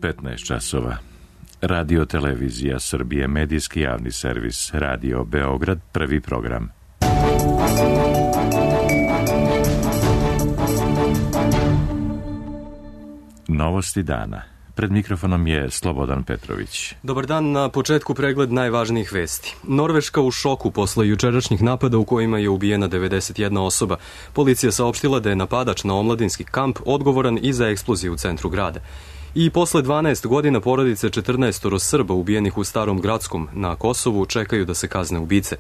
15 časova. Radio Televizija Srbije, medijski javni servis, Radio Beograd, prvi program. Novosti dana. Pred mikrofonom je Slobodan Petrović. Dobar dan, na početku pregled najvažnijih vesti. Norveška u šoku posle jučerašnjih napada u kojima je ubijena 91 osoba. Policija saopštila da je napadač na omladinski kamp odgovoran i za eksploziju u centru grada. I posle 12 godina porodice 14 Srba ubijenih u Starom Gradskom na Kosovu čekaju da se kazne ubice.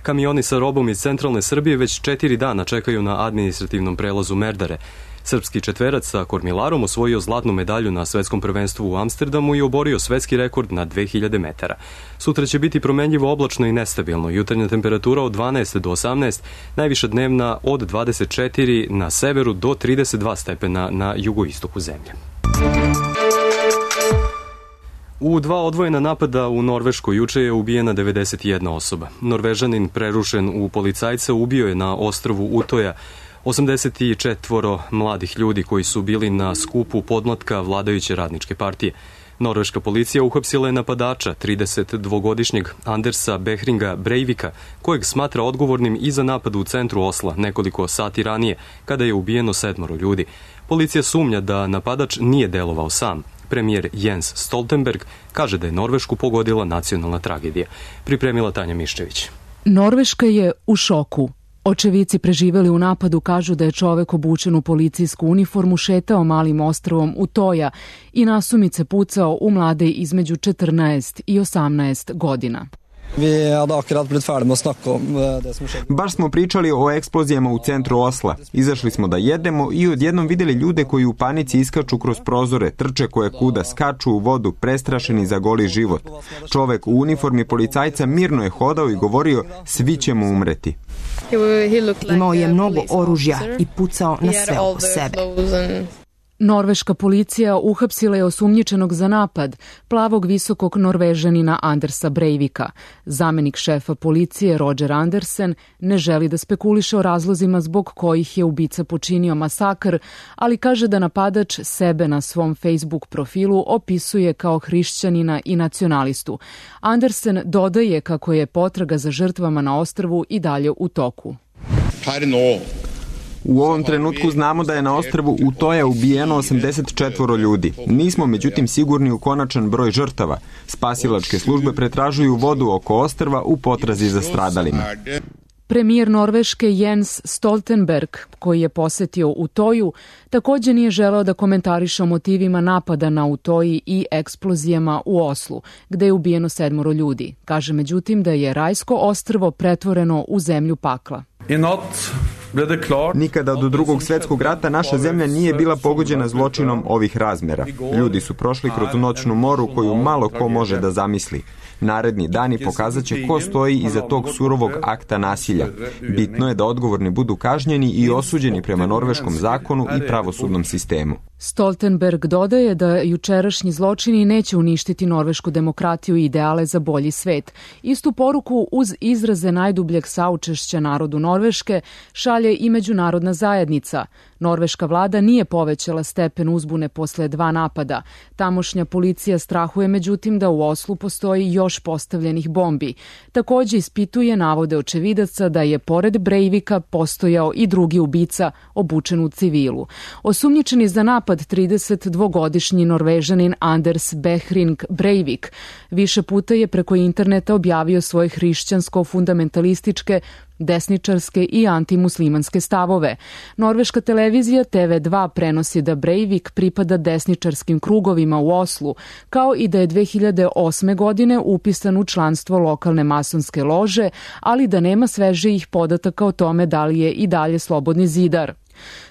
Kamioni sa robom iz centralne Srbije već 4 dana čekaju na administrativnom prelazu Merdare. Srpski četverac sa kormilarom osvojio zlatnu medalju na svetskom prvenstvu u Amsterdamu i oborio svetski rekord na 2000 metara. Sutra će biti promenljivo oblačno i nestabilno. Jutarnja temperatura od 12 do 18, najviša dnevna od 24 na severu do 32 stepena na jugoistoku zemlje. U 2 odvojena napada u Norveškoj juče je ubijena 91 osoba. Norvežanin prerušen u policajca ubio je na ostrvu Utoja 84 mladih ljudi koji su bili na skupu podmlatka vladajuće radničke partije. Norveška policija uhapsila je napadača, 32-godišnjeg Andersa Behringa Breivika, kojeg smatra odgovornim i za napad u centru Osla nekoliko sati ranije, kada je ubijeno 7 ljudi. Policija sumnja da napadač nije delovao sam. Premijer Jens Stoltenberg kaže da je Norvešku pogodila nacionalna tragedija. Pripremila Tanja Miščević. Norveška je u šoku. Očevici preživeli u napadu kažu da je čovek obučen u policijsku uniformu šetao malim ostrvom Utoja i nasumice pucao u mlade između 14 i 18 godina. Baš smo pričali o eksplozijama u centru Osla. Izašli smo da jedemo i odjednom videli ljude koji u panici iskaču kroz prozore, trče koje kuda, skaču u vodu, prestrašeni za goli život. Čovek u uniformi policajca mirno je hodao i govorio: svi ćemo umreti. Imao je mnogo oružja i pucao na sve oko sebe. Norveška policija uhapsila je osumnjičenog za napad, plavog visokog Norvežanina Andersa Breivika. Zamenik šefa policije Roger Andersen ne želi da spekuliše o razlozima zbog kojih je ubica počinio masakr, ali kaže da napadač sebe na svom Facebook profilu opisuje kao hrišćanina i nacionalistu. Andersen dodaje kako je potraga za žrtvama na ostrvu i dalje u toku. U ovom trenutku znamo da je na ostrvu Utoja ubijeno 84 ljudi. Nismo međutim sigurni u konačan broj žrtava. Spasilačke službe pretražuju vodu oko ostrva u potrazi za stradalima. Premijer Norveške Jens Stoltenberg, koji je posetio Utoju, također nije želeo da komentariše o motivima napada na Utoji i eksplozijama u Oslu, gde je ubijeno 7 ljudi. Kaže međutim da je rajsko ostrvo pretvoreno u zemlju pakla. Nikada do Drugog svjetskog rata naša zemlja nije bila pogođena zločinom ovih razmera. Ljudi su prošli kroz noćnu moru koju malo ko može da zamisli. Naredni dani pokazat će ko stoji iza tog surovog akta nasilja. Bitno je da odgovorni budu kažnjeni i osuđeni prema norveškom zakonu i pravosudnom sistemu. Stoltenberg dodaje da jučerašnji zločini neće uništiti norvešku demokratiju i ideale za bolji svet. Istu poruku uz izraze najdubljeg saučešća narodu Norveške šalje i međunarodna zajednica. Norveška vlada nije povećala stepen uzbune posle 2 napada. Tamošnja policija strahuje međutim da u Oslu postoji još postavljenih bombi. Također ispituje navode očevidaca da je pored Breivika postojao i drugi ubica obučen u civilu. Osumnjičeni za napad 32-godišnji Norvežanin Anders Behring Breivik više puta je preko interneta objavio svoje hrišćansko-fundamentalističke, desničarske i antimuslimanske stavove. Norveška televizija TV2 prenosi da Breivik pripada desničarskim krugovima u Oslu, kao i da je 2008. godine upisan u članstvo lokalne masonske lože, ali da nema svežijih podataka o tome da li je i dalje slobodni zidar.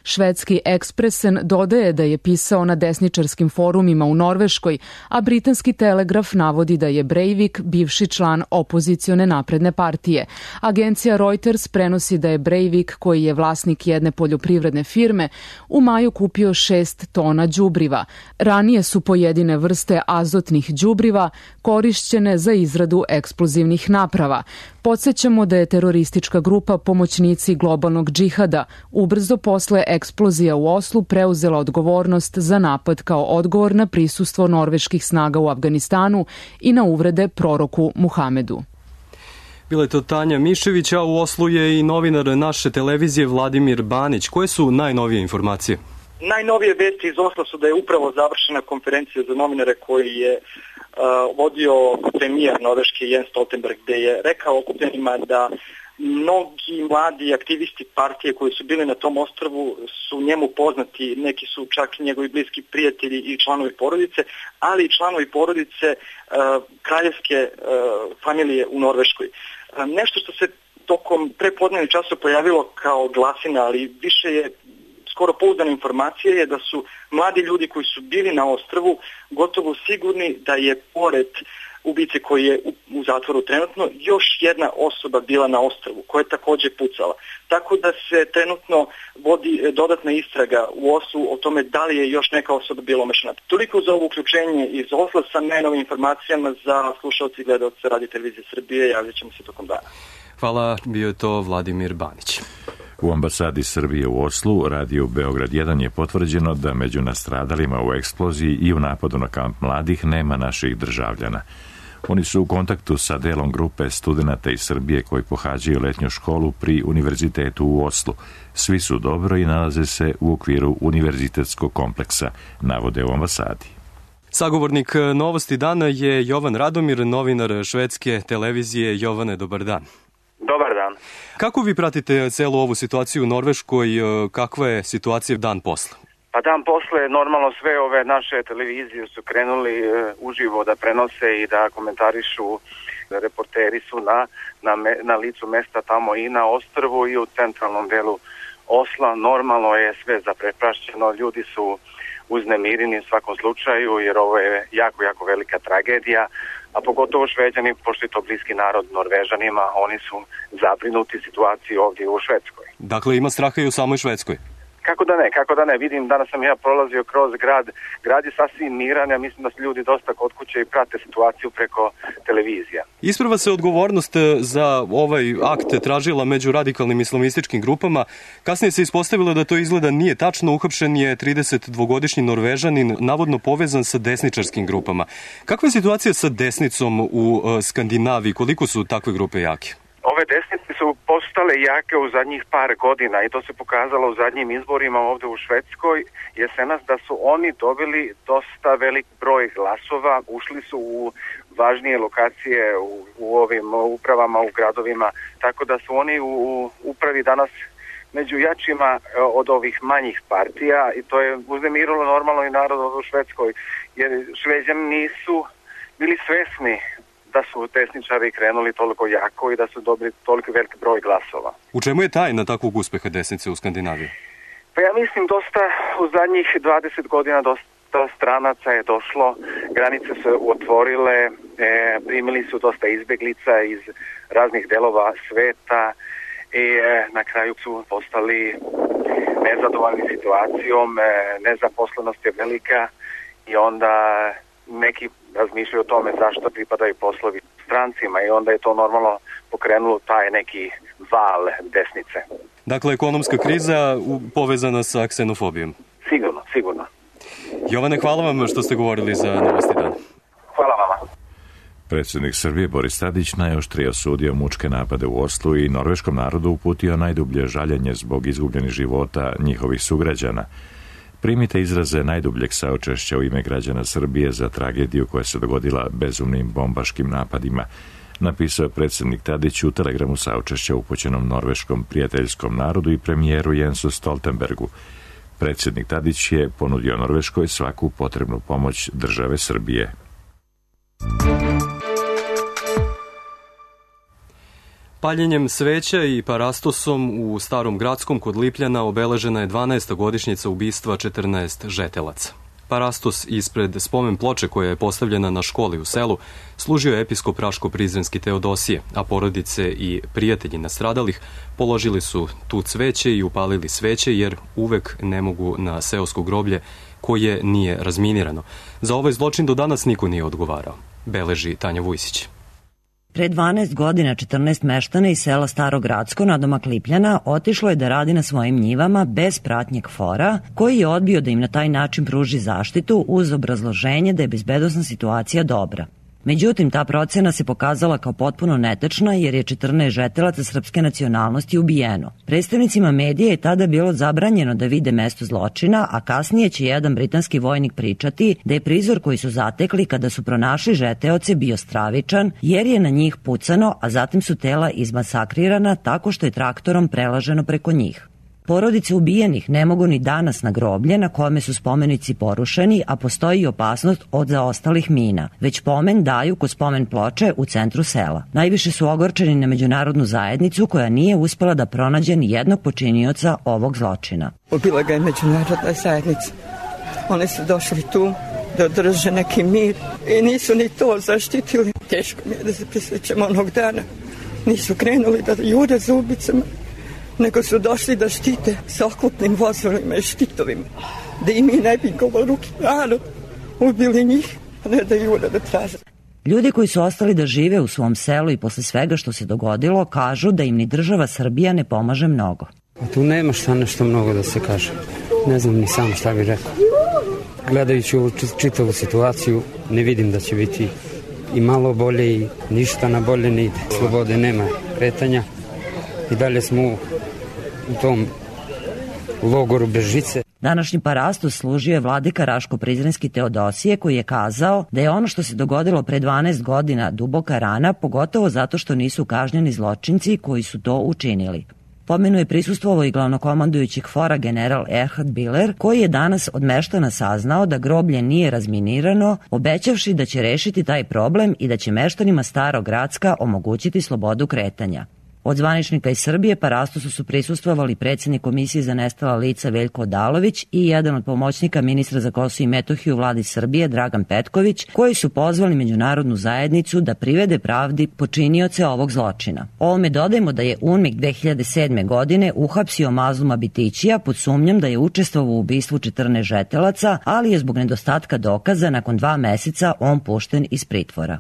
Švedski Expressen dodaje da je pisao na desničarskim forumima u Norveškoj, a britanski Telegraf navodi da je Breivik bivši član opozicione napredne partije. Agencija Reuters prenosi da je Breivik, koji je vlasnik jedne poljoprivredne firme, u maju kupio 6 tona đubriva. Ranije su pojedine vrste azotnih đubriva korišćene za izradu eksplozivnih naprava. Podsjećamo da je teroristička grupa Pomoćnici globalnog džihada ubrzo posle eksplozija u Oslu preuzela odgovornost za napad kao odgovor na prisustvo norveških snaga u Afganistanu i na uvrede proroku Muhamedu. Bila je to Tanja Mišević, a u Oslu je i novinar naše televizije Vladimir Banić. Koje su najnovije informacije? Najnovije vesti iz Osla su da je upravo završena konferencija za novinare koji je vodio premijer Norveške Jens Stoltenberg, gde je rekao okupljenima da mnogi mladi aktivisti partije koji su bili na tom ostrvu su njemu poznati, neki su čak njegovi bliski prijatelji i članovi porodice, ali i članovi porodice kraljevske familije u Norveškoj. Nešto što se tokom prepodnevnih časova pojavilo kao glasina, ali više je skoro pouzdana informacija je da su mladi ljudi koji su bili na ostrvu gotovo sigurni da je pored ubice koji je u zatvoru trenutno još jedna osoba bila na ostrvu koja je takođe pucala. Tako da se trenutno vodi dodatna istraga u Oslu o tome da li je još neka osoba bila umešana. Toliko za ovo uključenje iz Osla sa najnovim informacijama za slušalci i gledalce Radio Televizije Srbije. Javljat ćemo se tokom dana. Hvala, bio je to Vladimir Banić. U ambasadi Srbije u Oslu, radiju Beograd 1 je potvrđeno da među nastradalima u eksploziji i u napadu na kamp mladih nema naših državljana. Oni su u kontaktu sa delom grupe studenata iz Srbije koji pohađaju letnju školu pri univerzitetu u Oslu. Svi su dobro i nalaze se u okviru univerzitetskog kompleksa, navode u ambasadi. Sagovornik Novosti dana je Jovan Radomir, novinar švedske televizije. Jovane, dobar dan. Dobar dan. Kako vi pratite celu ovu situaciju u Norveškoj? Kakva je situacija dan posle? Pa dan posle, normalno sve ove naše televizije su krenuli uživo da prenose i da komentarišu. Reporteri su na licu mesta tamo i na ostrvu i u centralnom delu Osla. Normalno je sve zaprepašćeno, ljudi su uznemireni u svakom slučaju jer ovo je jako, jako velika tragedija, a pogotovo Šveđani, pošto je to bliski narod Norvežanima, oni su zabrinuti situaciji ovdje u Švedskoj. Dakle, ima straha i u samoj Švedskoj? Kako da ne, vidim, danas sam ja prolazio kroz grad je sasvim miran, ja mislim da su ljudi dosta kod kuće i prate situaciju preko televizija. Isprva se odgovornost za ovaj akt tražila među radikalnim islamističkim grupama, kasnije se ispostavilo da to izgleda nije tačno, uhapšen je 32-godišnji Norvežanin, navodno povezan sa desničarskim grupama. Kakva je situacija sa desnicom u Skandinaviji, koliko su takve grupe jake? Ove desnice su postale jake u zadnjih par godina i to se pokazalo u zadnjim izborima ovdje u Švedskoj. Jesenas da su oni dobili dosta velik broj glasova, ušli su u važnije lokacije u ovim upravama, u gradovima, tako da su oni u upravi danas među jačima od ovih manjih partija i to je uznemirilo normalno i narod u Švedskoj, jer Šveđani nisu bili svesni da su desničari krenuli toliko jako i da su dobili toliko veliki broj glasova. U čemu je tajna takvog uspeha desnice u Skandinaviji? Pa ja mislim dosta u zadnjih 20 godina dosta stranaca je došlo, granice su otvorile, primili su dosta izbeglica iz raznih delova sveta i na kraju su postali nezadovoljni situacijom, nezaposlenost je velika i onda neki razmišljaju o tome zašto pripadaju poslovi strancima i onda je to normalno pokrenulo taj neki val desnice. Dakle, ekonomska kriza povezana sa ksenofobijom. Sigurno. Jovane, hvala vam što ste govorili za Novosti dana. Hvala vama. Predsjednik Srbije Boris Tadić najoštrije osudio mučke napade u Oslu i norveškom narodu uputio najdublje žaljenje zbog izgubljenih života njihovih sugrađana. Primite izraze najdubljeg saučešća u ime građana Srbije za tragediju koja se dogodila bezumnim bombaškim napadima, napisao je predsjednik Tadić u telegramu saučešća upućenom norveškom prijateljskom narodu i premijeru Jensu Stoltenbergu. Predsjednik Tadić je ponudio Norveškoj svaku potrebnu pomoć države Srbije. Paljenjem sveća i parastosom u Starom Gradskom kod Lipljana obeležena je 12. godišnjica ubistva 14 žetelaca. Parastos ispred spomen ploče koja je postavljena na školi u selu služio je episkop Raško-Prizrenski Teodosije, a porodice i prijatelji nastradalih položili su tu cveće i upalili sveće jer uvek ne mogu na seosko groblje koje nije razminirano. Za ovaj zločin do danas niko nije odgovarao, beleži Tanja Vujsić. Pre 12 godina 14 meštana iz sela Starogradsko nadomak Lipljana otišlo je da radi na svojim njivama bez pratnje KFOR-a, koji je odbio da im na taj način pruži zaštitu uz obrazloženje da je bezbednosna situacija dobra. Međutim, ta procena se pokazala kao potpuno netečna jer je 14 žetelaca srpske nacionalnosti ubijeno. Predstavnicima medija je tada bilo zabranjeno da vide mesto zločina, a kasnije će jedan britanski vojnik pričati da je prizor koji su zatekli kada su pronašli žeteoce bio stravičan jer je na njih pucano, a zatim su tela izmasakrirana tako što je traktorom prelaženo preko njih. Porodice ubijenih ne mogu ni danas na groblje na kome su spomenici porušeni, a postoji i opasnost od zaostalih mina. Već pomen daju kod spomen ploče u centru sela. Najviše su ogorčeni na međunarodnu zajednicu koja nije uspela da pronađe ni jednog počinioca ovog zločina. Ubila ga je međunarodna zajednica. Oni su došli tu da održe neki mir i nisu ni to zaštitili. Teško mi je da se prisjećam onog dana. Nisu krenuli da jure za ubicama, nego su došli da štite sa oklopnim vozovima i štitovima, da im i ne bi govoruki narod ubili njih, a ne da jure da traže. Ljudi koji su ostali da žive u svom selu i posle svega što se dogodilo kažu da im ni država Srbija ne pomaže mnogo. A tu nema šta nešto mnogo da se kaže. Ne znam ni sam šta bih rekao. Gledajući ovu čitavu situaciju, ne vidim da će biti i malo bolje i ništa na bolje ne ide. Slobode nema, kretanja i dalje smo u tom logoru bez žice. Današnji parastos služio je vladika Raško-Prizrenski Teodosije koji je kazao da je ono što se dogodilo pre 12 godina duboka rana, pogotovo zato što nisu kažnjeni zločinci koji su to učinili. Pomenu je prisustvovao i glavnokomandujući KFOR-a general Erhard Biller, koji je danas od meštana saznao da groblje nije razminirano, obećavši da će rešiti taj problem i da će meštanima Starogradska omogućiti slobodu kretanja. Od zvaničnika iz Srbije parastosu su prisustvovali predsjednik Komisije za nestala lica Veljko Odalović i jedan od pomoćnika ministra za Kosovo i Metohiju u vladi Srbije Dragan Petković, koji su pozvali međunarodnu zajednicu da privede pravdi počinioce ovog zločina. Ovome dodajemo da je UNMIK 2007. godine uhapsio Mazluma Bitićija pod sumnjom da je učestvovao u ubistvu 14 žetelaca, ali je zbog nedostatka dokaza nakon 2 meseca on pušten iz pritvora.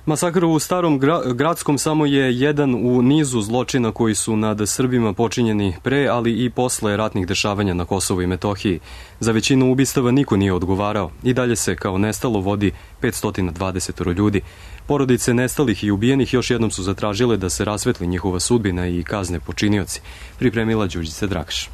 Masakr u Starom Gradskom samo je jedan u nizu zločina koji su nad Srbima počinjeni pre, ali i posle ratnih dešavanja na Kosovu i Metohiji. Za većinu ubistava niko nije odgovarao. I dalje se kao nestalo vodi 520 ljudi. Porodice nestalih i ubijenih još jednom su zatražile da se rasvetli njihova sudbina i kazne počinioci. Pripremila Đurđica Drakaš.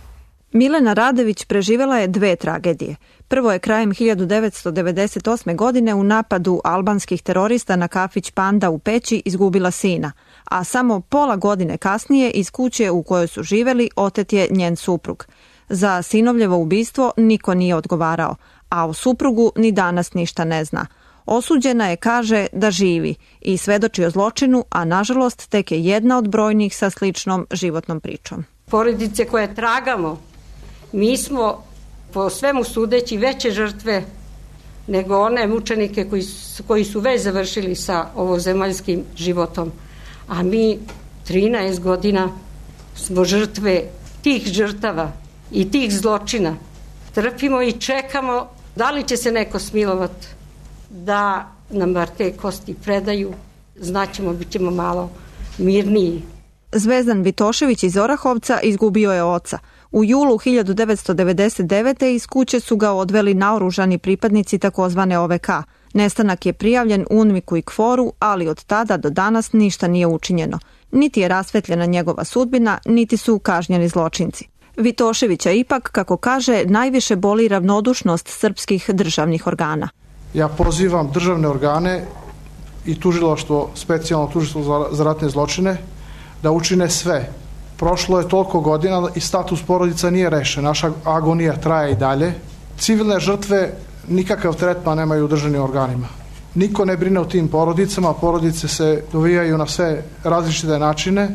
Milena Radević preživela je 2 tragedije. Prvo je krajem 1998. godine u napadu albanskih terorista na kafić Panda u Peći izgubila sina, a samo pola godine kasnije iz kuće u kojoj su živeli otet je njen suprug. Za sinovljevo ubistvo niko nije odgovarao, a o suprugu ni danas ništa ne zna. Osuđena je, kaže, da živi i svedoči o zločinu, a nažalost tek je jedna od brojnih sa sličnom životnom pričom. Porodice koje tragamo, mi smo po svemu sudeći veće žrtve nego one mučenike koji su već završili sa ovozemaljskim životom. A mi 13 godina smo žrtve tih žrtava i tih zločina. Trpimo i čekamo da li će se neko smilovati da nam bar te kosti predaju. Znaćemo, bit ćemo malo mirniji. Zvezdan Vitošević iz Orahovca izgubio je oca. U julu 1999. iz kuće su ga odveli naoružani pripadnici takozvane OVK. Nestanak je prijavljen UNMIK-u i KFOR-u, ali od tada do danas ništa nije učinjeno. Niti je rasvetljena njegova sudbina, niti su kažnjeni zločinci. Vitoševića ipak, kako kaže, najviše boli ravnodušnost srpskih državnih organa. Ja pozivam državne organe i tužilaštvo, specijalno tužilaštvo za ratne zločine, da učine sve. Prošlo je toliko godina i status porodica nije rešen. Naša agonija traje i dalje. Civilne žrtve nikakav tretman nemaju u državnim organima. Niko ne brine o tim porodicama, porodice se dovijaju na sve različite načine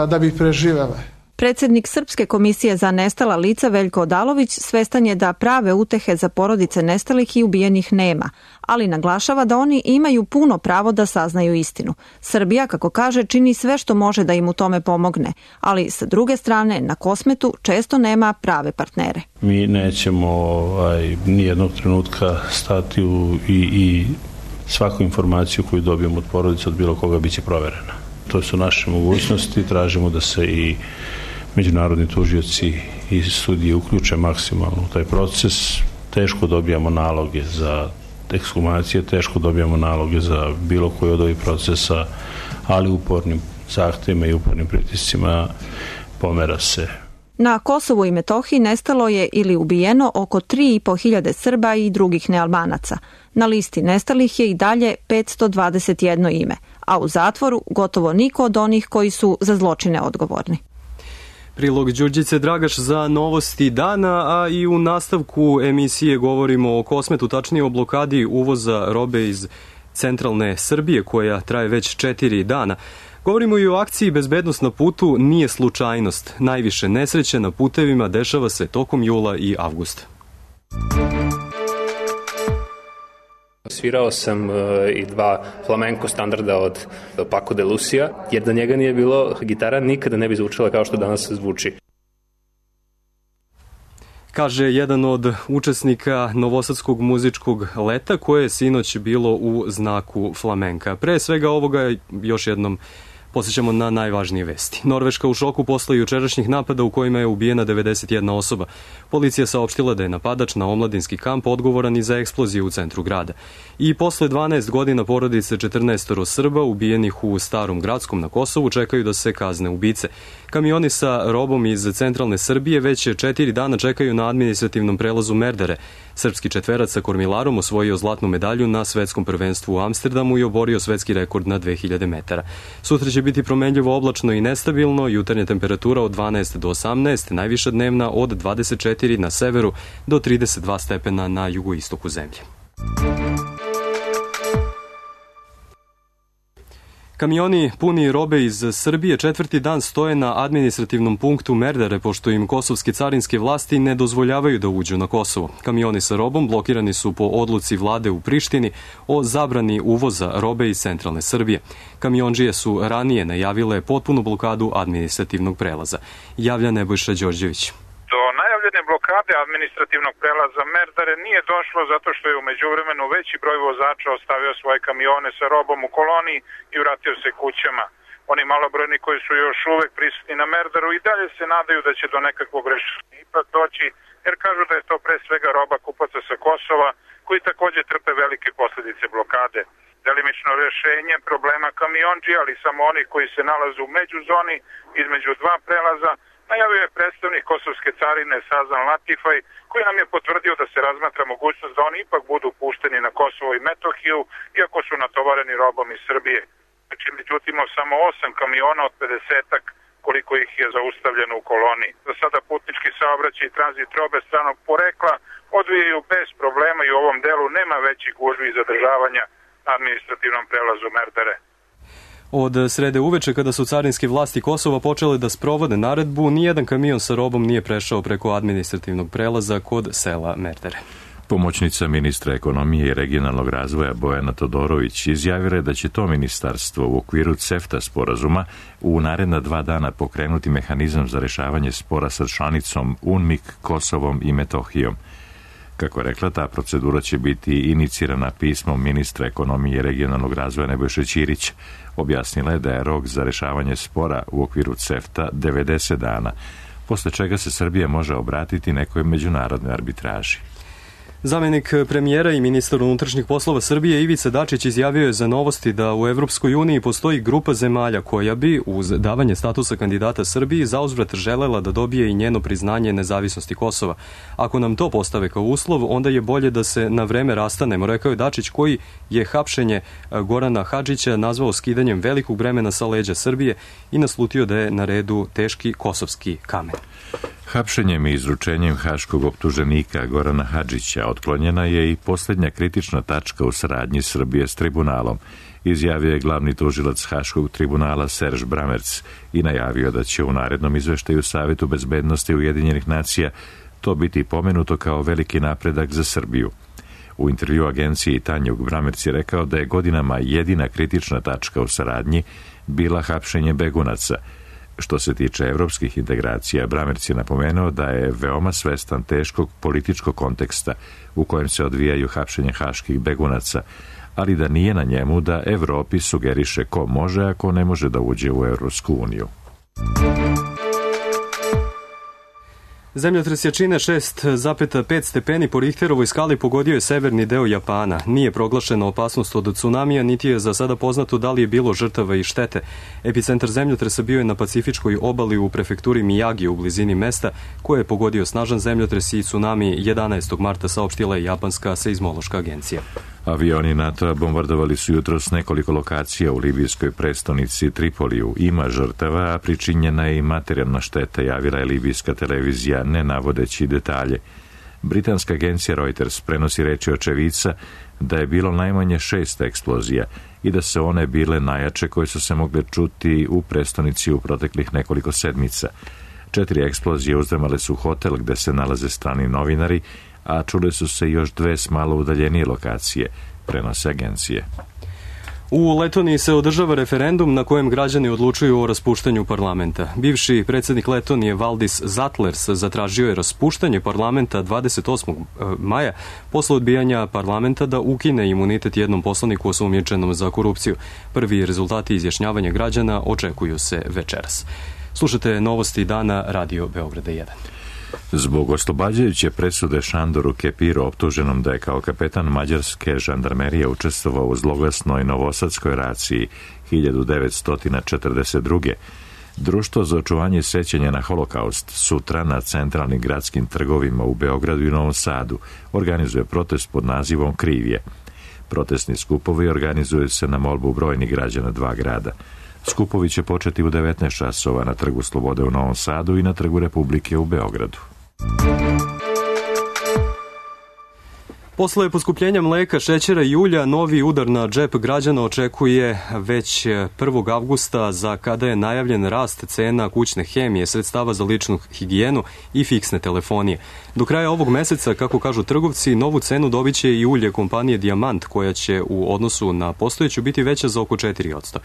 da bi preživele. Predsjednik Srpske komisije za nestala lica Veljko Odalović svestan je da prave utehe za porodice nestalih i ubijenih nema, ali naglašava da oni imaju puno pravo da saznaju istinu. Srbija, kako kaže, čini sve što može da im u tome pomogne, ali sa druge strane na Kosmetu često nema prave partnere. Mi nećemo nijednog trenutka stati i svaku informaciju koju dobijemo od porodice, od bilo koga, bit će proverena. To su naše mogućnosti, tražimo da se i međunarodni tužioci i sudije uključe maksimalno u taj proces. Teško dobijamo naloge za ekshumacije, teško dobijamo naloge za bilo koji od ovih procesa, ali upornim zahtjevima i upornim pritiscima pomera se. Na Kosovu i Metohiji nestalo je ili ubijeno oko 3.500 Srba i drugih nealbanaca. Na listi nestalih je i dalje 521 ime, a u zatvoru gotovo niko od onih koji su za zločine odgovorni. Prilog Đurđice Dragaš za novosti dana, a i u nastavku emisije govorimo o Kosmetu, tačnije o blokadi uvoza robe iz centralne Srbije koja traje već 4 dana. Govorimo i o akciji Bezbednost na putu nije slučajnost. Najviše nesreće na putevima dešava se tokom jula i avgusta. Svirao sam i 2 flamenko standarda od Paco de Lucia, jer da njega nije bilo, gitara nikada ne bi zvučala kao što danas zvuči. Kaže jedan od učesnika Novosadskog muzičkog leta koje je sinoć bilo u znaku flamenka. Pre svega ovoga još jednom posjećamo na najvažnije vesti. Norveška u šoku posle jučerašnjih napada u kojima je ubijena 91 osoba. Policija saopštila da je napadač na omladinski kamp odgovoran i za eksploziju u centru grada. I posle 12 godina porodice 14 Srba ubijenih u Starom Gradskom na Kosovu čekaju da se kazne ubice. Kamioni sa robom iz centralne Srbije već 4 dana čekaju na administrativnom prelazu Merdare. Srpski četverac sa kormilarom osvojio zlatnu medalju na svetskom prvenstvu u Amsterdamu i oborio svetski rekord na 2000 metara. Sutra će biti promenljivo oblačno i nestabilno, jutarnja temperatura od 12 do 18, najviša dnevna od 24 na severu do 32 stepena na jugoistoku zemlje. Kamioni puni robe iz Srbije 4. dan stoje na administrativnom punktu Merdare, pošto im kosovske carinske vlasti ne dozvoljavaju da uđu na Kosovo. Kamioni sa robom blokirani su po odluci vlade u Prištini o zabrani uvoza robe iz centralne Srbije. Kamiondžije su ranije najavile potpunu blokadu administrativnog prelaza. Javlja Nebojša Đorđević. Do najavljene blokade administrativnog prelaza Merdare nije došlo zato što je u međuvremenu veći broj vozača ostavio svoje kamione sa robom u koloniji i vratio se kućama. Oni malobrojni koji su još uvek prisutni na Merdaru i dalje se nadaju da će do nekakvog rešenja ipak doći, jer kažu da je to pre svega roba kupaca sa Kosova koji takođe trpe velike posljedice blokade. Delimično rešenje problema kamiondžija, ali samo onih koji se nalaze u međuzoni između 2 prelaza, najavio je predstavnik kosovske carine Sazan Latifaj, koji nam je potvrdio da se razmatra mogućnost da oni ipak budu pušteni na Kosovo i Metohiju, iako su natovareni robom iz Srbije. Znači, međutim, samo 8 kamiona od 50-ak, koliko ih je zaustavljeno u koloniji. Za sada putnički saobraćaj i tranzit robe stranog porekla odvijaju bez problema i u ovom delu nema većih gužvi i zadržavanja na administrativnom prelazu Merdare. Od srede uveče, kada su carinske vlasti Kosova počele da sprovode naredbu, nijedan kamion sa robom nije prešao preko administrativnog prelaza kod sela Merdare. Pomoćnica ministra ekonomije i regionalnog razvoja Bojana Todorović izjavila je da će to ministarstvo u okviru CEFTA sporazuma u naredna 2 dana pokrenuti mehanizam za rešavanje spora sa članicom UNMIK, Kosovom i Metohijom. Kako je rekla, ta procedura će biti inicirana pismom ministra ekonomije i regionalnog razvoja Nebojše Ćirića. Objasnila je da je rok za rešavanje spora u okviru CEFTA 90 dana, posle čega se Srbija može obratiti nekoj međunarodnoj arbitraži. Zamenik premijera i ministar unutrašnjih poslova Srbije Ivica Dačić izjavio je za Novosti da u Evropskoj uniji postoji grupa zemalja koja bi, uz davanje statusa kandidata Srbiji, zauzvrat želela da dobije i njeno priznanje nezavisnosti Kosova. Ako nam to postave kao uslov, onda je bolje da se na vreme rastanemo, rekao je Dačić, koji je hapšenje Gorana Hadžića nazvao skidanjem velikog bremena sa leđa Srbije i naslutio da je na redu teški kosovski kamen. Hapšenjem i izručenjem haškog optuženika Gorana Hadžića otklonjena je i posljednja kritična tačka u saradnji Srbije s tribunalom, izjavio je glavni tužilac Haškog tribunala Serž Bramerc i najavio da će u narednom izveštaju Savetu bezbednosti Ujedinjenih nacija to biti pomenuto kao veliki napredak za Srbiju. U intervju agenciji Tanjug Bramerc je rekao da je godinama jedina kritična tačka u saradnji bila hapšenje begunaca. Što se tiče evropskih integracija, Bramerc je napomenuo da je veoma svestan teškog političkog konteksta u kojem se odvijaju hapšenje haških begunaca, ali da nije na njemu da Evropi sugeriše ko može, a ko ne može da uđe u Evropsku uniju. Zemljotres jačine 6,5 stepeni po Richterovoj skali pogodio je severni deo Japana. Nije proglašena opasnost od tsunamija, niti je za sada poznato da li je bilo žrtava i štete. Epicentar zemljotresa bio je na Pacifičkoj obali u prefekturi Miyagi u blizini mesta koje je pogodio snažan zemljotres i tsunami 11. marta, saopštila je japanska seizmološka agencija. Avioni NATO-a bombardovali su jutros nekoliko lokacija u libijskoj prestonici Tripoliju. Ima žrtava, a pričinjena je i materijalna šteta, javila je libijska televizija, ne navodeći detalje. Britanska agencija Reuters prenosi reči očevica da je bilo najmanje 6 eksplozija i da se one bile najjače koje su se mogle čuti u prestonici u proteklih nekoliko sedmica. 4 eksplozije uzdrmale su hotel gde se nalaze strani novinari, a čule su se još 2 s malo udaljenije lokacije, prenose agencije. U Letoniji se održava referendum na kojem građani odlučuju o raspuštanju parlamenta. Bivši predsjednik Letonije Valdis Zatlers zatražio je raspuštanje parlamenta 28. maja posle odbijanja parlamenta da ukine imunitet jednom poslaniku osumnjičenom za korupciju. Prvi rezultati izjašnjavanja građana očekuju se večeras. Slušate novosti dana Radio Beograda 1. Zbog oslobađajuće presude Šandoru Kepiru, optuženom da je kao kapetan mađarske žandarmerije učestvovao u zloglasnoj novosadskoj raciji 1942. Društvo za očuvanje sećanja na holokaust sutra na centralnim gradskim trgovima u Beogradu i Novom Sadu organizuje protest pod nazivom Krivje. Protestni skupovi organizuju se na molbu brojnih građana 2 grada. Skupovi će početi u 19 časova na Trgu Slobode u Novom Sadu i na Trgu Republike u Beogradu. Posle poskupljenja mleka, šećera i ulja, novi udar na džep građana očekuje već 1. avgusta, za kada je najavljen rast cena kućne hemije, sredstava za ličnu higijenu i fiksne telefonije. Do kraja ovog meseca, kako kažu trgovci, novu cenu dobiće i ulje kompanije Dijamant, koja će u odnosu na postojeću biti veća za oko 4%.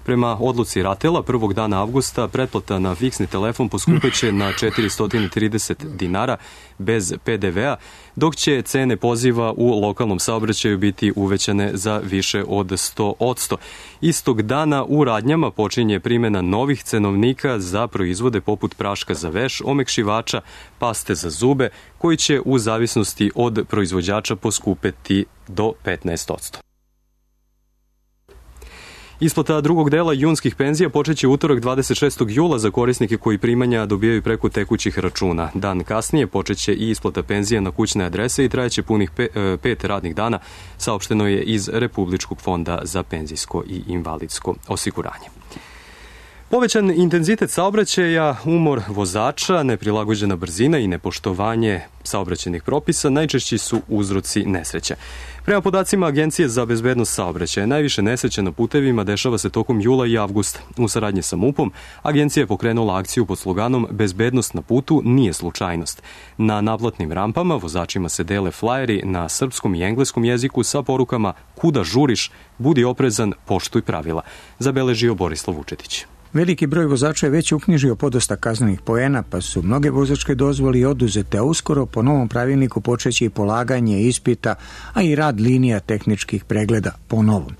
Prema odluci Ratela, prvog dana avgusta pretplata na fiksni telefon poskupeće na 430 dinara bez PDV-a, dok će cene poziva u lokalnom saobraćaju biti uvećane za više od 100%. Istog dana u radnjama počinje primjena novih cenovnika za proizvode poput praška za veš, omekšivača, paste za zube, koji će u zavisnosti od proizvođača poskupeti do 15%. Isplata drugog dela junskih penzija počeće utorak 26. jula za korisnike koji primanja dobijaju preko tekućih računa. Dan kasnije počeće i isplata penzija na kućne adrese i trajeće punih 5 radnih dana, saopšteno je iz Republičkog fonda za penzijsko i invalidsko osiguranje. Povećan intenzitet saobraćaja, umor vozača, neprilagođena brzina i nepoštovanje saobraćajnih propisa najčešći su uzroci nesreća. Prema podacima Agencije za bezbednost saobraćaja, najviše nesreća na putevima dešava se tokom jula i avgusta. U saradnji sa MUP-om, agencija je pokrenula akciju pod sloganom "Bezbednost na putu nije slučajnost". Na naplatnim rampama vozačima se dele flajeri na srpskom i engleskom jeziku sa porukama "Kuda žuriš, budi oprezan, poštuj pravila", zabeležio Borislav Vučetić. Veliki broj vozača je već uknjižio podosta kaznenih poena, pa su mnoge vozačke dozvole oduzete, a uskoro po novom pravilniku počeće i polaganje ispita, a i rad linija tehničkih pregleda po novom.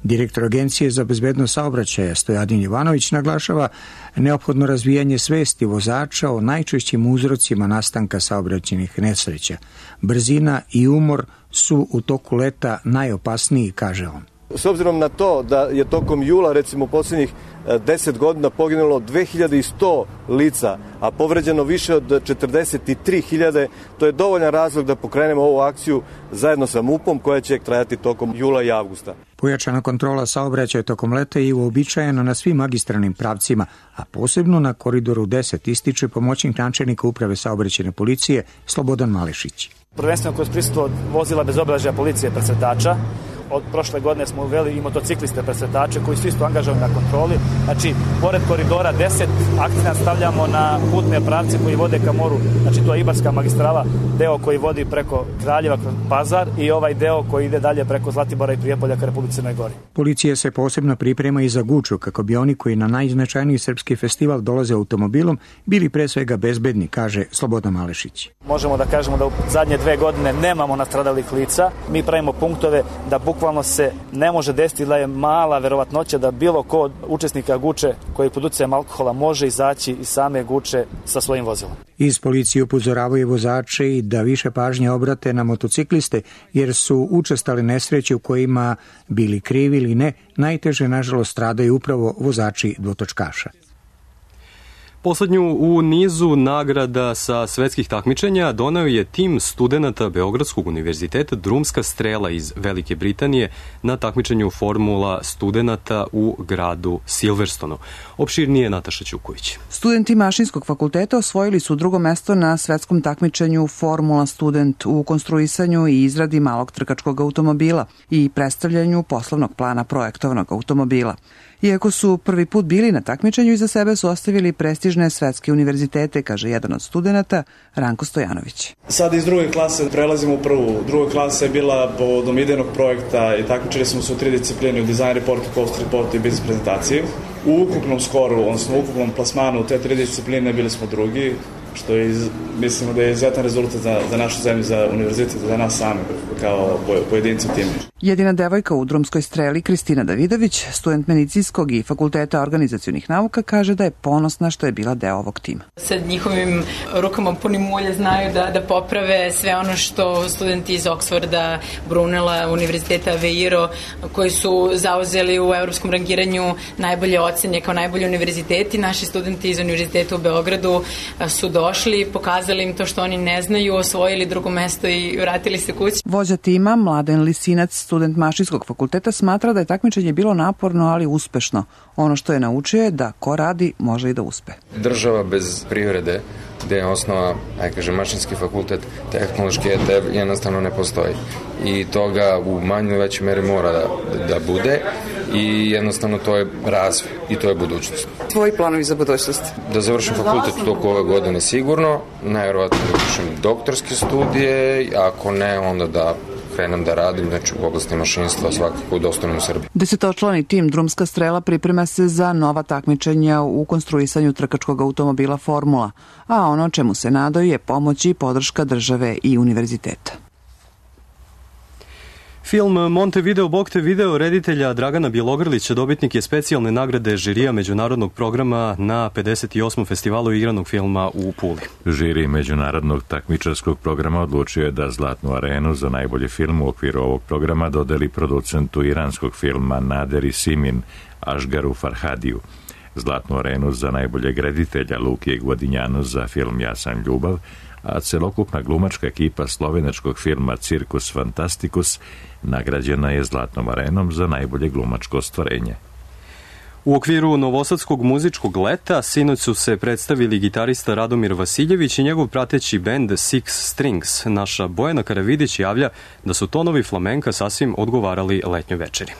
Direktor Agencije za bezbednost saobraćaja Stojadin Jovanović naglašava neophodno razvijanje svesti vozača o najčešćim uzrocima nastanka saobraćajnih nesreća. Brzina i umor su u toku leta najopasniji, kaže on. S obzirom na to da je tokom jula, recimo, posljednjih 10 godina poginulo 2100 lica, a povređeno više od 43.000, to je dovoljan razlog da pokrenemo ovu akciju zajedno sa MUP-om koja će trajati tokom jula i avgusta. Pojačana kontrola saobraćaja tokom leta je uobičajena na svim magistralnim pravcima, a posebno na koridoru 10, ističe pomoćnik načelnika uprave saobraćajne policije Slobodan Malešić. Prvenstveno kroz prisustvo vozila bez obeležja policije presretača. Od prošle godine smo uveli i motocikliste presretače koji su isto angažovani na kontroli. Znači, pored koridora 10 akcenat stavljamo na putne pravce koji vode ka moru. Znači, to je Ibarska magistrala, deo koji vodi preko Kraljeva kroz Pazar i ovaj deo koji ide dalje preko Zlatibora i Prijepolja ka Republici Crnoj Gori. Policija se posebno priprema i za Guču, kako bi oni koji na najznačajniji srpski festival dolaze automobilom bili pre svega bezbedni, kaže Slobodan Malešić. Možemo da kažemo da u zadnje 2 godine nemamo nastradalih lica. Mi pravimo punktove da bukvalno se ne može desiti da je mala verovatnoća da bilo ko od učesnika guče koji pod uticajem alkohola može izaći iz same guče sa svojim vozilom. Iz policije upozoravaju vozače i da više pažnje obrate na motocikliste, jer su učestale nesreće u kojima, bili krivi ili ne, najteže nažalost stradaju upravo vozači dvotočkaša. Poslednju u nizu nagrada sa svetskih takmičenja doneo je tim studenata Beogradskog univerziteta Drumska strela iz Velike Britanije na takmičenju formula studenata u gradu Silverstonu. Opširnije Nataša Ćuković. Studenti Mašinskog fakulteta osvojili su drugo mesto na svetskom takmičenju Formula student u konstruisanju i izradi malog trkačkog automobila i predstavljanju poslovnog plana projektovanog automobila. Iako su prvi put bili na takmičenju, iza sebe su ostavili prestižne svetske univerzitete, kaže jedan od studenata, Ranko Stojanović. Sad iz druge klase prelazimo u prvu. Druga klasa je bila povodom idejnog projekta i takmičili smo se u 3 discipline, u design reportu, cost reportu i biznis prezentaciji. U ukupnom skoru, odnosno u ukupnom plasmanu u te 3 discipline bili smo drugi, što je, mislimo da je izuzetan rezultat za našu zemlju, za univerzitet, za nas sami kao pojedinci u timu. Jedina devojka u drumskoj streli, Kristina Davidović, student medicinskog i fakulteta organizacionih nauka, kaže da je ponosna što je bila deo ovog tima. Sa njihovim rukama punim mulja znaju da poprave sve ono što studenti iz Oxforda, Brunela, Univerziteta Aveiro, koji su zauzeli u evropskom rangiranju najbolje ocene kao najbolji univerziteti. Naši studenti iz Univerziteta u Beogradu su došli, pokazali im to što oni ne znaju, osvojili drugo mesto i vratili se kući. Vođa tima, Mladen Lisinac, student Mašinskog fakulteta, smatra da je takmičenje bilo naporno, ali uspešno. Ono što je naučio je da ko radi može i da uspe. Država bez privrede, gde je osnova, Mašinski fakultet, tehnološki ETV, jednostavno ne postoji. I toga u manjoj većoj meri mora da bude i jednostavno to je razvoj i to je budućnost. Tvoji planovi za budućnost? Da završim fakultet u toku ove godine sigurno, najverovatno da upišem doktorske studije, ako ne, onda da krenem da radim, znači u oblasti mašinstva svakako da ostanem u Srbiji. 10-člani tim Drumska strela priprema se za nova takmičenja u konstruisanju trkačkog automobila Formula, a ono čemu se nadaju je pomoć i podrška države i univerziteta. Film Montevideo Bog te video reditelja Dragana Bjelogrlića dobitnik je specijalne nagrade žirija međunarodnog programa na 58. festivalu igranog filma u Puli. Žiri međunarodnog takmičarskog programa odlučio je da Zlatnu arenu za najbolji film u okviru ovog programa dodeli producentu iranskog filma Naderi Simin, Ašgaru Farhadiju. Zlatnu arenu za najboljeg reditelja Lukije Gvodinjanu za film Ja sam ljubav, a celokupna glumačka ekipa slovenačkog filma Cirkus Fantasticus nagrađena je Zlatnom arenom za najbolje glumačko ostvarenje. U okviru Novosadskog muzičkog leta sinoć su se predstavili gitarista Radomir Vasiljević i njegov prateći bend Six Strings. Naša Bojana Karavidić javlja da su tonovi flamenka sasvim odgovarali letnjoj večeri.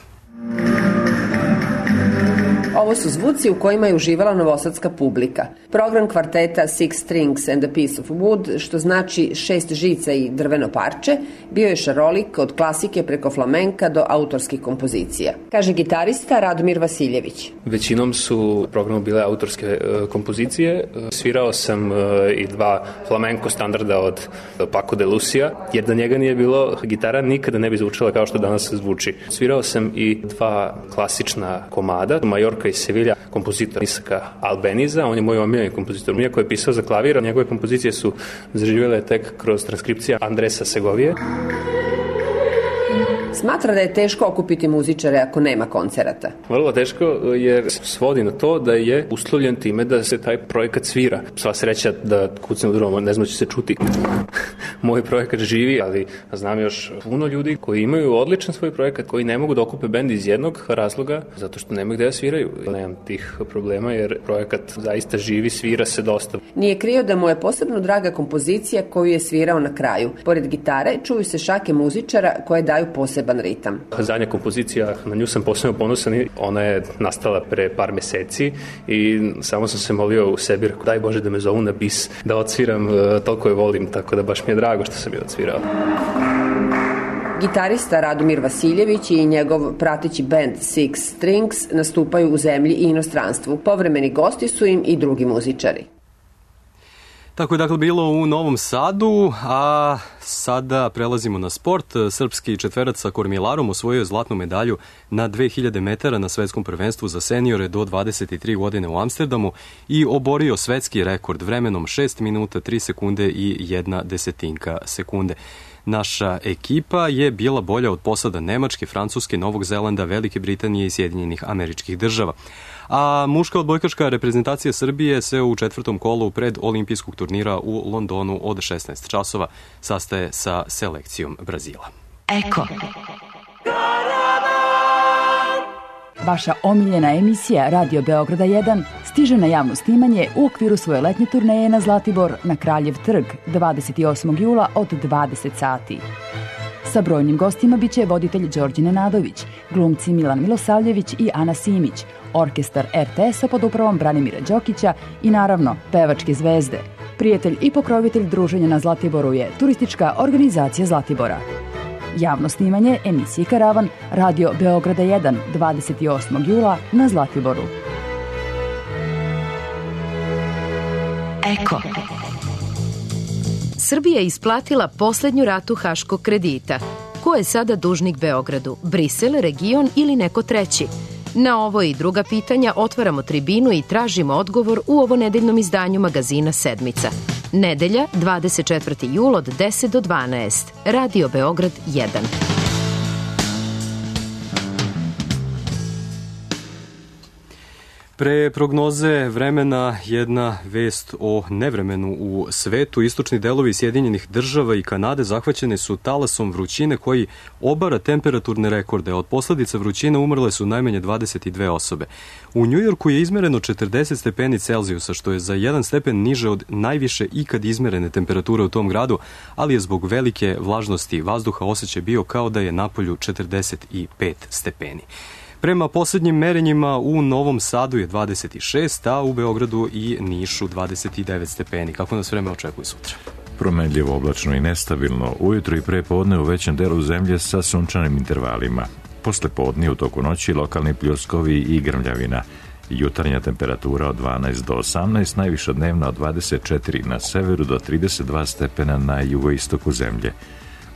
Ovo su zvuci u kojima je uživala novosadska publika. Program kvarteta Six Strings and a Piece of Wood, što znači 6 žica i drveno parče, bio je šarolik od klasike preko flamenka do autorskih kompozicija. Kaže gitarista Radomir Vasiljević. Većinom su u programu bile autorske kompozicije. Svirao sam i 2 flamenko standarda od Paco de Lucia, jer da njega nije bilo, gitara nikada ne bi zvučala kao što danas zvuči. Svirao sam i 2 klasična komada, Majorka iz Sevilja, kompozitor Isaka Albeniza, on je moj omiljeni kompozitor, koji je pisao za klavir, njegove kompozicije su zaživjele tek kroz transkripcija Andresa Segovije. Smatra da je teško okupiti muzičare ako nema koncerata. Vrlo teško jer svodi na to da je uslovljen time da se taj projekat svira. Sva sreća da kucne u drugom, ne znam će se čuti. Moj projekat živi, ali znam još puno ljudi koji imaju odličan svoj projekat, koji ne mogu da okupe bend iz jednog razloga, zato što nemaju gde da sviraju. Nemam tih problema jer projekat zaista živi, svira se dosta. Nije krio da mu je posebno draga kompozicija koju je svirao na kraju. Pored gitare čuju se šake muzičara koje daju poseban ritam. Zadnja kompozicija, na nju sam posebno ponosan, ona je nastala pre par meseci i samo sam se molio u sebi, rekao, daj Bože da me zovu na bis, da odsviram, toliko je volim, tako da baš mi je drago što sam je odsvirao. Gitarista Radomir Vasiljević i njegov prateći bend Six Strings nastupaju u zemlji i inostranstvu. Povremeni gosti su im i drugi muzičari. Tako je dakle bilo u Novom Sadu, a sada prelazimo na sport. Srpski četverac sa kormilarom osvojio je zlatnu medalju na 2000 metara na svetskom prvenstvu za seniore do 23 godine u Amsterdamu i oborio svetski rekord vremenom 6 minuta 3 sekunde i 1/10 sekunde. Naša ekipa je bila bolja od posada Nemačke, Francuske, Novog Zelanda, Velike Britanije i Sjedinjenih Američkih Država. A muška odbojkaška reprezentacija Srbije se u četvrtom kolu pred olimpijskog turnira u Londonu od 16 časova sastaje sa selekcijom Brazila. Eko. Vaša omiljena emisija Radio Beograda 1 stiže na javno snimanje u okviru svoje letnje turneje na Zlatibor na Kraljev trg 28. jula od 20 sati. Sa brojnim gostima biće voditelj Đorđe Nenadović, glumci Milan Milosavljević i Ana Simić, orkestar RTS-a pod upravom Branimira Đokića i naravno pevačke zvezde. Prijatelj i pokrovitelj druženja na Zlatiboru je turistička organizacija Zlatibora. Javno snimanje emisije Karavan Radio Beograda 1 28. jula na Zlatiboru. Eko. Srbija je isplatila poslednju ratu haškog kredita. Ko je sada dužnik Beogradu? Brisel, region ili neko treći? Na ovo i druga pitanja otvaramo tribinu i tražimo odgovor u ovonedeljnom izdanju magazina Sedmica. Nedelja, 24. jul od 10 do 12. Radio Beograd 1. Pre prognoze vremena jedna vest o nevremenu u svetu. Istočni delovi Sjedinjenih Država i Kanade zahvaćene su talasom vrućine koji obara temperaturne rekorde. Od posledica vrućine umrle su najmanje 22 osobe. U Njujorku je izmereno 40 stepeni Celzijusa, što je za 1 stepen niže od najviše ikad izmerene temperature u tom gradu, ali je zbog velike vlažnosti vazduha osjećaj bio kao da je napolju 45 stepeni. Prema posljednjim merenjima u Novom Sadu je 26, a u Beogradu i Nišu 29 stepeni. Kako nas vreme očekuje sutra? Promenljivo, oblačno i nestabilno. Ujutro i pre podne u većem delu zemlje sa sunčanim intervalima. Posle podne u toku noći lokalni pljuskovi i grmljavina. Jutarnja temperatura od 12 do 18, najviša dnevna od 24 na severu do 32 stepena na jugoistoku zemlje.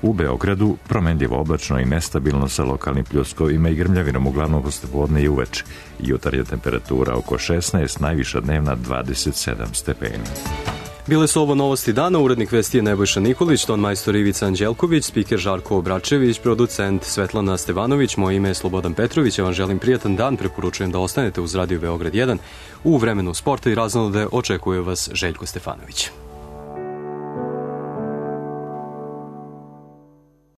U Beogradu promenljivo, oblačno i nestabilno sa lokalnim pljuskovima i grmljavinom uglavnom posle podne i uveče. Jutarnja temperatura oko 16, najviša dnevna 27 stepeni. Bile su ovo novosti dana, urednik vesti je Nebojša Nikolić, ton majstor Ivica Anđelković, spiker Žarko Obračević, producent Svetlana Stevanović, moje ime je Slobodan Petrović, ja vam želim prijatan dan, preporučujem da ostanete uz Radio Beograd 1. U vremenu sporta i raznolade očekuje vas Željko Stefanović.